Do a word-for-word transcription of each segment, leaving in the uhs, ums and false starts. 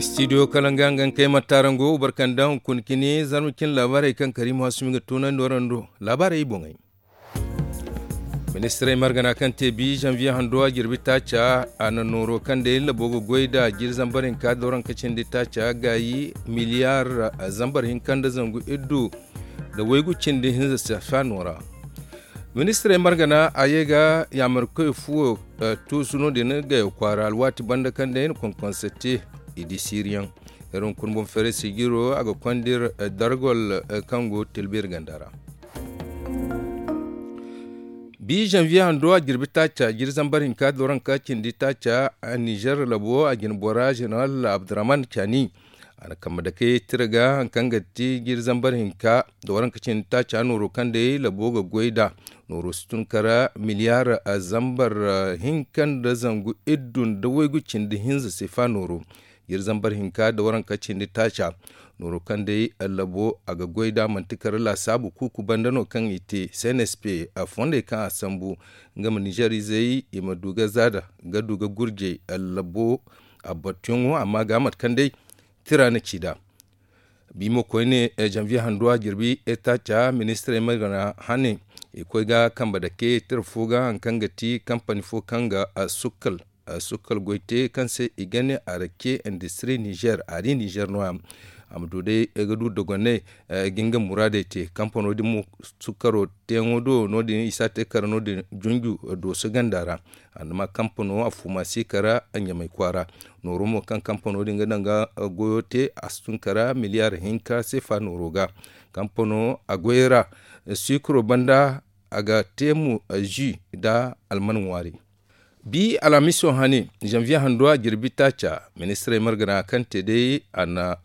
Studio kalanga nga kay martarango barkanda hunkuna kini zarma cin laabaarey kaŋ kariima hasumi ga tunandi warando laabaarey boŋey. Ministirey margana kaŋ te bi zanviye hando a jirbi taaca a na nooro kaŋ day labo ga goy da jiri zambar hinka dooranka cindi taaca gaayi miliyar zambar hinka nda zangu iddu nda waygu cindi hinza safa noora. Ministirey margana a ye ga yaamarkoy fuwo tuusu no- din gaya kwaara alwaati banda kaŋ day na konkonse te. I di siiriyaŋ iri hunkuna boŋ feeray sijiro a ga konda iri dargol kaŋ go tilbiri ganda ra. Bi zanviye hando a jirbi taaca jiri zambar hinka dooranka cindi taaca nizer labo a jina bora zeneral abdurrahman cani a na kambe dake tira ga hari kaŋ ga ti jiri zambar hinka dooranka cindi taaca nooro kaŋ day labo ga goy nd'a. Nooro si tun kara miliyar zambar hinka nda zangu iddu nda waygu cindi hinza sefa nooro. Jiri zambar hinka da waranka cindi taaca nooro kaŋ day labo a ga goy nd'a manti kara laasaabu kuuku banda no kaŋ i te cnsp a fondey kaŋ a sambu nga ma nizer izey i ma du ga zaada ga du ga gurjey labo a battuyaŋo amma ga mate kaŋ day tira na ci nd'a. Bi mo koyne zanviye hando a jirbi taaca ministirey ma gana hane i koy ga kambe dake tira fo ga hari kaŋ ga ti kampani fo kaŋ ga sukkal sukkal goy te kaŋ se i ga ne arake industiri nizer a di nizer nooya. A ma du day ga du dogonay ga nga muraadey te kampano din mo sukkaro teeyaŋo do no- din i si a te kara no- din junju dooso ganda ra. Andama kampano a fuuma si kara ɲamay kwaara nooro mo kaŋ kampano din ga daŋ ga goyo te a si tun kara miliyar hinka seefa nooro ga. Kampano a goyey ra sikiro banda a ga te mo ji nda alman ŋwaari. Bi alhamiso hane zanviye hando a jirbi taaca ministirey margana kaŋ te day a na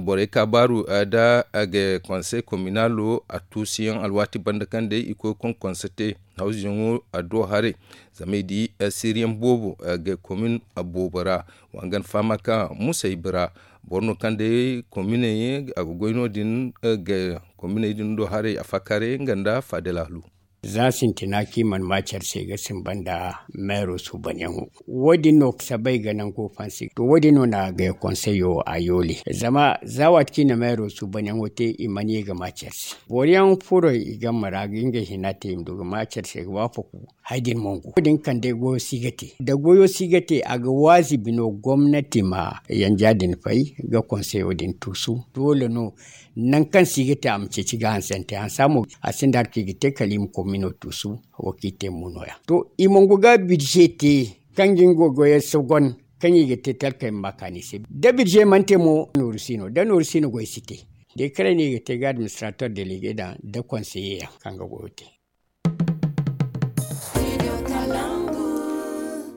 borey kaabaaru nda a ga konsey kominalo a tuusuyaŋ alwaati banda kaŋ day i koy konkonse te hawzuyaŋo a do haray. Zama i di siriyaŋ boobo ga komin boobo ra wangan fahama ka musay bira boro no kaŋ day kominey a ga goy no- din ga kominey din do haray a faakaaray nga nda faadalaalu. Za sintina kaŋ i mana ma care se ga sinba nda meero suubanyaŋo. Wo- din no sabay ga nango fansi to wo- din no na ga konseyo a yoole zama za waati kaŋ i na meero suubanyaŋo te i mana ye ga ma care se boro yaŋ furo i game ra ga ngey hina te i ma du ga ma care se ga waafaku. Hari din mongo wo- din kaŋ day goyo si ga te da goyo si ga te a ga waazibi no gomnati ma yanja din fay ga konseyo din tuusu doole no. Nangu kaŋ si ga te a ma ceeci ga hansante hansa mo a sinda hari kaŋ i ga te kala i ma komino tuusu. Wo kaŋ i te mo nooya to i mongo ga bidze te kaŋ ga nga goyey sogon kaŋ i ga te talkey ma ma kaani se da bidze mana te mo nooru si no da nooru si no goy si te. Dekarey no i ga te ga administrator delege daŋ da konseye yaŋ kaŋ ga goyo te.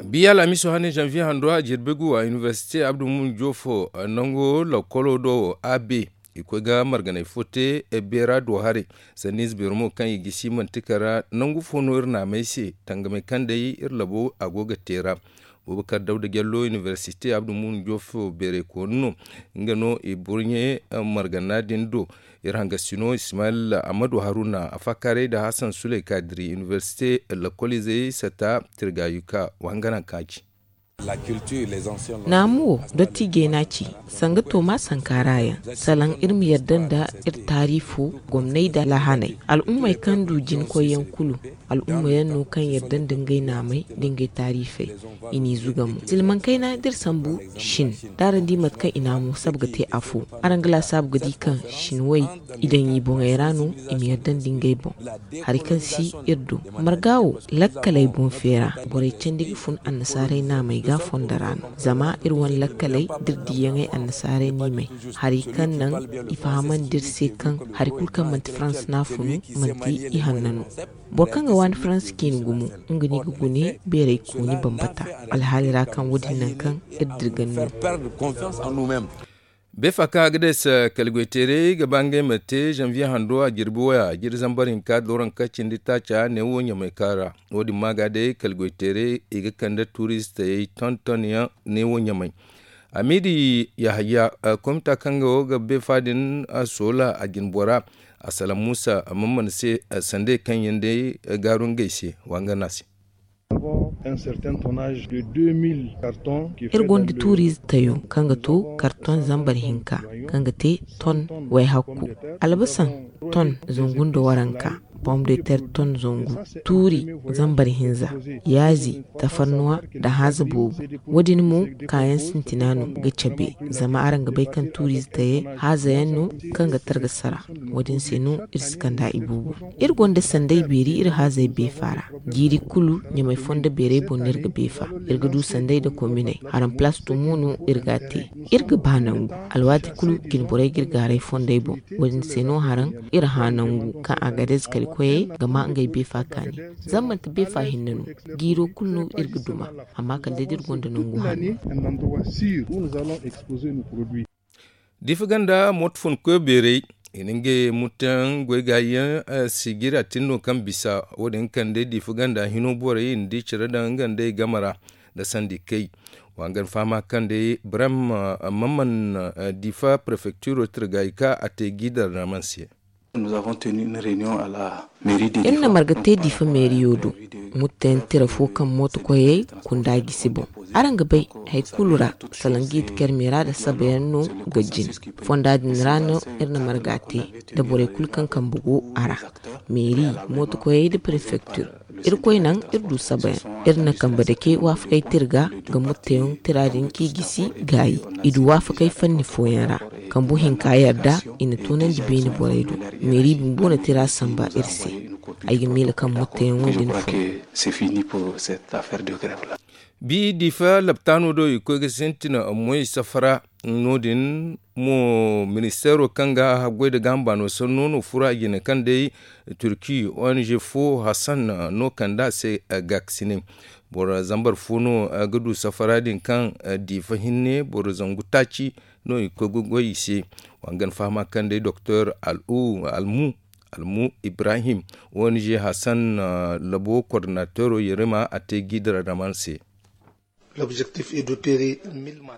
Biya alhamiso hane zanviye hando a jirbi gu a iniversite abdu mun jofo nango lokolo do a be i koy ga marganay fo te beera do haray. Sanni ize beero mo kaŋ i gisi manti kara nangu fo no iri naamay se tangamay kaŋ day iri labo a go ga te ra. Bubakar dawda jallo iniversite abdu mun jofo beeray koonu no nga no i burɲe margana din do. Iri hangasino ismail ahmadu haruna a faakaaray nda hasan suley kaadiri iniversite lakkol izey sata tirgayuka wangana kaaci. Naamu wo dottiijey n'a ci sanga tooma sankaara yaŋ salaŋ iri ma yadda nda iri taariifo gomney nda lahaney al'ummey kaŋ du jinkoyyaŋ kulu. Al'umma yaŋ no kaŋ yadda nda ngey naamey nda ngey taariifey. I n'i zuga mo silmaŋ kayna d'iri sambu shin d'araŋ di mate kaŋ i naamo saba ga te afo. Araŋ ga laasaabu ga di kaŋ shinwey i daŋ i boŋey ra no i ma yadda nda ngey boŋ. Hari kaŋ si iri do marga wo lakkaley boŋ feera borey candi ga fun annasaarey naamey ga fondo ra no zama iri wane lakkaley d'iri diiyaŋey annasaarey niimey. Hari kaŋ naŋ i fahamandi iri se kaŋ hari kulu kaŋ manti farans n'a funu manti i hanna no. Boro kaŋ ga waani farans ciine gumo nga no i ga gune beeray kooni bambata alhaali ra kaŋ wo- din naŋ kaŋ iri dirgan no. Beefa kaŋ a ga deesa kala goyteerey ga ba ngey ma te zanviye hando a jirbi waya jiri zambar hinka dooranka cindi taaca neewo ɲamay kaŋ ra. Wo-din ma ga day kala goyteerey i ga kande turistey tontonyaŋ neewo ɲamay. Amiidi yahaya komita kaŋ ga wo ga beefa din soola a jinbora a salaŋ muusa mammana se sandey kaŋ yaŋ day gaaru ngey se wangana se. Iri gonda tuuriize tayo kaŋ ga to karton zambar hinka, kaŋ ga te ton wayhakku. Albasan ton zangu nda waranka, pom de ter ton zangu, tuuri zambar hinza, yaazi, tafarnuwa nda haaza boobo. Wo- din mo kaayaŋ sintina no ga cabe, zama araŋ ga bay kaŋ tuuriize tayey haaza yaŋ no kaŋ ga targa sara. Wo- din se no iri si kand'a iboobo. Iri gonda sanday beeri iri haazey beefa ra. Jiiri kulu ɲamay fondo beerey boŋ no iri ga beefa. Iri ga du sanday nda kominey. Haraŋ palaas tumo no iri g'a te. Iri ga ba nangu. Alwaati kulu jinborey ga iri gaaray fondey boŋ. Wo- din se no haraŋ iri hã nangu kaŋ a ga dayze kala koyey ga ma ngey beefa kaani. Zama manti beefa hinne no, jiiro kulu no iri ga duma. Amma kala day da iri gonda nangu hanno. Diifa ganda mooto fun koy beerey i na ngey mutayaŋ goy ga yaŋ. Sijira tin no kaŋ bisa wo- din kaŋ day diifa ganda hino borey i na di care daŋ nga nd'ey game ra nda sandi kay. Wa nga ni fahama kaŋ day brem maman diifa prefecturo tira ga i ka a te giidar naman se. Iri na marga te diifa meeriyo do, mutayaŋ tira fo kaŋ mooto koyey kunda gisi boŋ. Araŋ ga bay, hari kulu ra, salaŋ ga i ti karmera nda sabayaŋ no ga jin. Fonda din ra no iri na marga te, nda borey kulu kaŋ kambe go a ra, meeri, mooto koyey nda prefektir. Irkoy naŋ iri du sabayaŋ. Iri na kambe dake waafakey tira ga, ga mutayaŋ tira din k'i gisi gaayi. I du waafakey fanni fooyaŋ ra, kambu hinka yarda i na toonandi beene borey do. Meeri bumbo na tira samba iri se. Ay ga miila kaŋ mutayaŋo din fun. Bi diifa laptaano do i koy ga sintin moy safara no- din mo ministeero kaŋ ga haggoy nda gaaham baano sanno no furo a jine kaŋ day turki ong fo hassan no kand'a se. Gaakasinay boro zambar fo no ga du safara din kaŋ diifa hinne boro zangu taaci no i koy ga goy i se. Wa nga ni fahama kaŋ day doktor almu almu ibrahim ong hassan labo koordinateero yerima a te giidira daman se.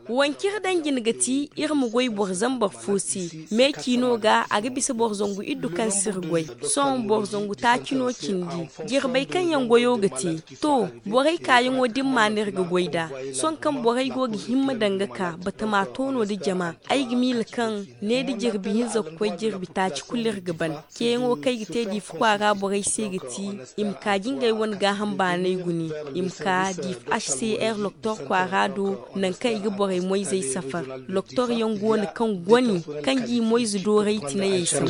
Wancir daŋ jin ga ti iri ma goy boro zambar fo se. Meeci no ga a ga bisa boro zangu iddu kaŋ si iri goy. Sohõ boro zangu taaci no cindi. Jirbey kaŋ yaŋ goyo ga te. To, borey kaayaŋo da ni ma no iri ga goy nd'a. Sohõ kaŋ borey go ga himma daŋ ga ka batama toono nda jama, ay ga miila kaŋ ne da jirbi hinza ga koy jirbi taaci kulu iri ga ban. Ceeyaŋo kaŋ ay ga te diifa kwaara borey se ga ti, i ma ka ga ngey wane gaaham baanay gune. I ma ka diifa h c r loktor kwaara do, nangu kaŋ i ga borey moyzey safar. Loktor yaŋ go no kaŋ goni kaŋ g'i moyze dooray tinayey sambu.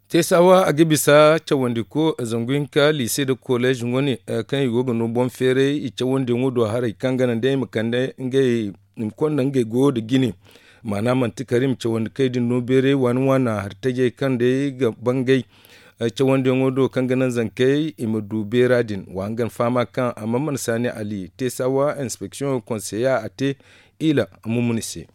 Teesawa a ga bisa cawandiko zangu hinka liise nda kolleez wane kaŋ i go ga no boŋ feeray i cawandiyaŋo do haray kaŋ ga naŋ day i ma kande ngey i ma konda ngey goyo nda jine. Maana manti kala i ma cawandi kay din no beeray waani waana hari tajey kaŋ day ga bangay cawandiyaŋo do kaŋ ga naŋ zankey i ma du beera din. Wa hangan fahama kaŋ a mana mana saani ali te sawa inspeksiyoŋo konseya a te ila mumuni se.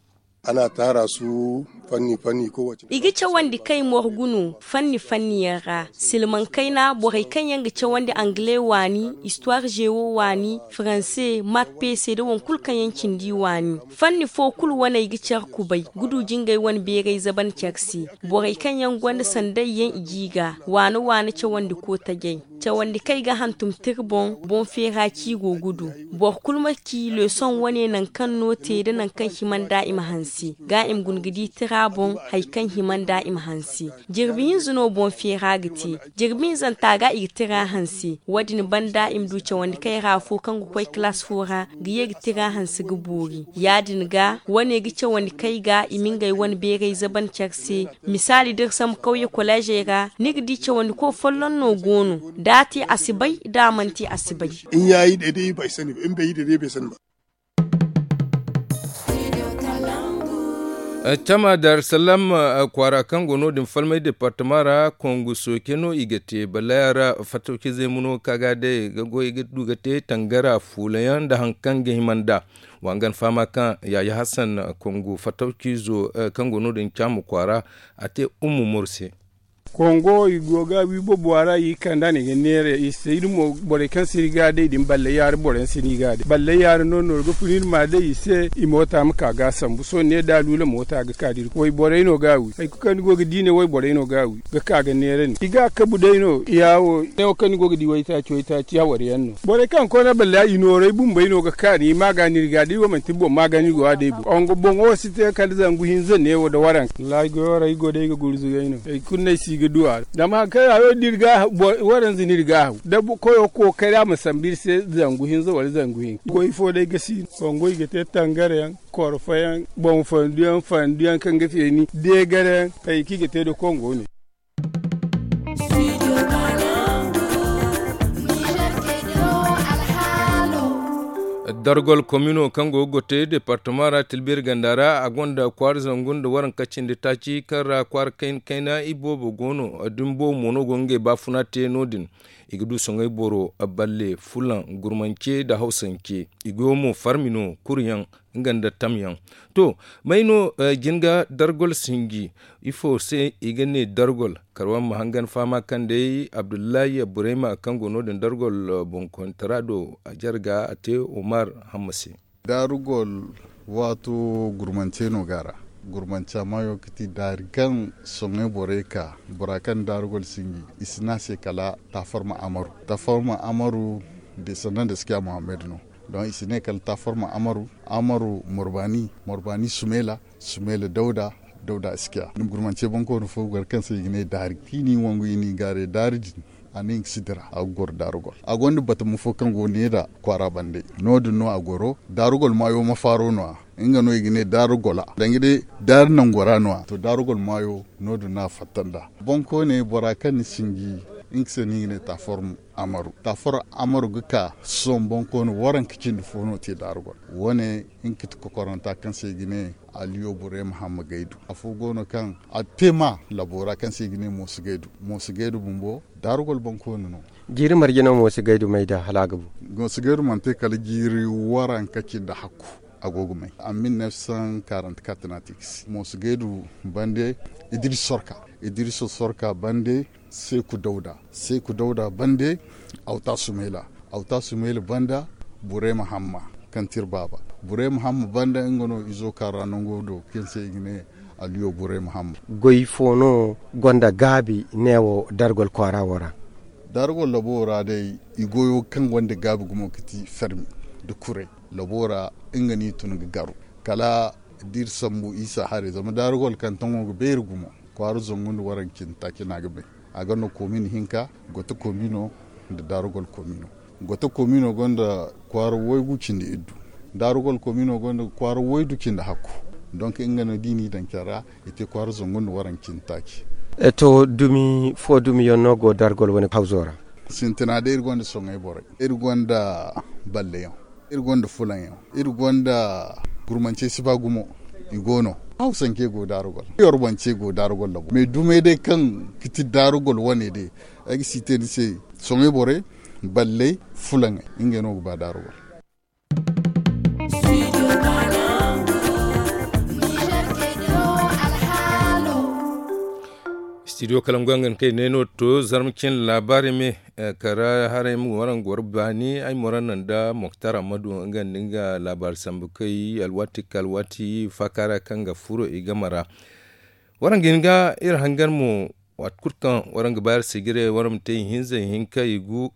I ga cawandi kay morgu no fanni fanni yaŋ ra silmaŋ kayna borey kaŋ yaŋ ga cawandi angle waani, histoire gewo waani, faranse, mat pese nda waŋ kulu kaŋ yaŋ cindi waani. Fanni fo kulu wane ay ga care kubay ga du jingay wane beeray zaban care se. Borey kaŋ yaŋ gonda sanday yaŋ i g'i ga waana waana cawandi kootajay. Cawandi kaŋ ay ga hantum tira boŋ boŋ feera ci go ga du. Boro kulu ma ci leesoŋ wane nangu kaŋ no te nda nangu kaŋ hima nd'a i ma hanse ga i ma guna ga di tira boŋ hari kaŋ hima nd'a i ma hanse. Jirbi hinza no boŋ feera ga te. Jirbi hinzanta ga i ga tira hanse. Wo- din banda i ma du cawandi kaŋ ay ra afo kaŋ ga koy kalaas fo ra ga ye ga tira hanse ga boori. Ya- din ga wane ga cawandi kaŋ ay ga i ma ngey wane beeray zaban care se. Misaali da iri sambu kawye koleezey ra ni ga di cawandiko folloŋ no go no. Da a te a si bay da a mana te a si bay. Cama dar salam kwaara kaŋ go no- din falmay departama ra kongu sooke no i ga te balaya ra fatawcizey mo no ka ga day ga goy ga du ga te tangara fuula yaŋ nda hari kaŋ ga hima nd'a. Wa nga ni fahama kaŋ yaayi hassan kongu fatawcizo kaŋ go no- din cama kwaara a te ummu mor se. Kongo i go ga wi bobo a ra i kanda no i ga neera i se iri mo borey kaŋ si iri ga day din balle yaari borey si no i ga day balle yaari no nooru ga fun iri ma day i se i moota ma ka ga sambu sohõ ne da a luula moota ga ka da iri wayborey no ga wi hari kulu kaŋ ni go ga di ne wayborey no ga wi ga ka ga neera ni i ga kabu day no ya wo ne wo kaŋ ni go ga di waytaaci waytaaci hawar yaŋ no borey kaŋ koona balle i noorey bumbey no ga ka ni ma ga no iri ga da iri wo manti boŋ ma ga no iri go a day boŋ boŋo wo si te kala zangu hinza ne wo da waranka wallahi goyo ra iri go day ga gurzu gay no. Hari kulu no ay si ga du a ra zama hari kaŋ hayo da iri ga waranza no iri ga haw da koyo kookari a ma sambu iri se zangu hinza wala zangu hinka goy fo day ga si no kongo i ga te tangare yaŋ korfo yaŋ boŋ fandu yaŋ fandu yaŋ kaŋ ga feeni deegare yaŋ hari kaŋ i ga te da kongo ne. Dargol komino kaŋ go ga gote departama ra tilbiri ganda ra a gonda kwaara zangu nda waranka cindi taaci kaŋ ra kwaara kayna iboobo go no. Din boobo mo no go ga ngey baafuna te no- din i ga du soŋay boro balle fulaŋ gurmance nda hawsance i go mo farmi no kuru yaŋ nga nda tamyaŋ. To may no jin ga dargol sinji ifo se i ga ne dargol kala waraŋ ma hangan fahama kaŋ day abdullahi burayma kaŋ go no- din dargol boŋkoyantara do a jarga a te omar hamma se. Daarugol waato gurmance no ga a ra. Gurmanca maayo ga ti daari kaŋ soŋay borey ka bora kaŋ daarugol sinji i si ne a se kala taafarma amaru. Taafarma amaru de sanda nda sikiya muhammad no. Don i si ne kala taafarma amaru amaru morbaani morbaani sumeela sumeela dawda dawda sikiya. Gurmance boŋkooni fo gar kaŋ se i ga ne daari i n'i wangu i n'i gaaray daari din a ne nga si dira a ga goro daarugol a gonda batama fo kaŋ go ne nda kwaara bande. No- din no a goro daarugol maayo ma faaro no- ya nga no i ga ne daarugola danga day daari nango ra no- ya to daarugol maayo no- din no a fatta nd'a. Boŋkooney bora kaŋ ni sinji nga se no i ga ne taaform amaru taaform amaru ga ka sohõ boŋkooni waranka cindi fo no te daarugol. Wo- ne nga ga ti kokoranta kaŋ se i ga ne aliyo burema hamma gaydu afo go no kaŋ a te ma labo ra kaŋ se i ga ne moosu gaydu moosu gaydu bumbo daarugol boŋkooni no. Jiiri marje no moosu gaydu may da hala a ga bu. Moosu gaydu mana te kala jiiri waranka cindi hakku a go ga may a mil neef san karanti kat no a te ga si moosu gaydu bande idiriso sorka idiriso sorka bande seeku dawda seeku dawda bande awta sumayla awta sumayla banda burema hamma kaŋ ti iri baaba burema hamma banda nga no izo kaŋ ra nango do kaŋ se i ga ne aliyo burema hamma. Goy fo no gonda gaabi neewo dargol kwaara wo ra? Dargol labo wo ra day i goyo kaŋ gonda gaabi gumo ga ti fermi nda kuray labo wo ra nga no i tun ga garu kala da iri sambu isa haray zama daarugol kaŋ taŋo ga beeri gumo kwaara zangu nda waranka cindi taaci no a ga bay. A gonda komin hinka goto komino nda daarugol komino goto komino gonda kwaara waygu cindi iddu daarugol komino gonda kwaara waydu cindi hakku. Donk nga no da i n'i daŋ care ra i te kwaara zangu nda waranka cindi taaci. To dumi fo dumiyaŋ no go daarugol wane hawzo ra? Sintina day iri gonda soŋay borey iri gonda balleyaŋ iri gonda fulaŋyaŋ iri gonda gurmancey si ba gumo. I go no hawsancey go daarugol yorbance go daarugol labo mais dumey day kaŋ ga ti daarugol wane day ay ga si te ni se soŋay borey balley fulaŋey ngey no ga ba daarugol. Studio kalangu yaŋ ga ni kay ne no to zarma cin laabaari me kara haray ma waraŋ goro baani ay ma waraŋ naŋ da moktar ammadu nga nda nga laabaari sambu kay alwaati ka alwaati faaka ra kaŋ ga furo i game ra. Waraŋ ga hin ga iri hangan mo waati kulu kaŋ waraŋ ga ba iri sijire waraŋ ma te ihinza ihinka igu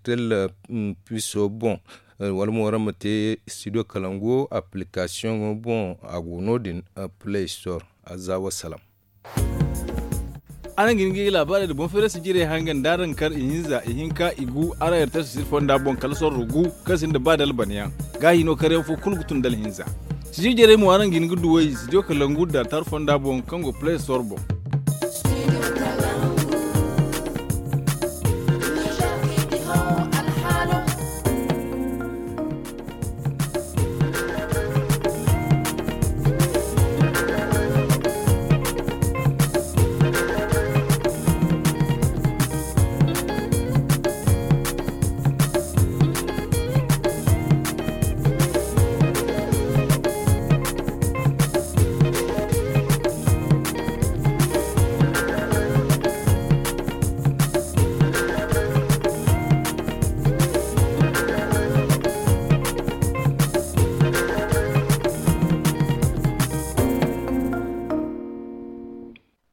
tel piso boŋ wala mo waraŋ ma te studio kalangu application boŋ a go no- din play store. Za wasalaam. Araŋ ga hin ga i laabaarey nda boŋ feerasi jirey hangan da araŋ kar ihinza ihinka igu araŋ yartasu siri fonda boŋ kala sorro gu kaŋ sinda ba dalbanayaŋ. Gaahi no karyaŋ fo kulu ga tun da alhinza. Sijir jarey mo araŋ ga hin ga duw'ey studio kalangu nda tar fonda boŋ kaŋ go play store boŋ.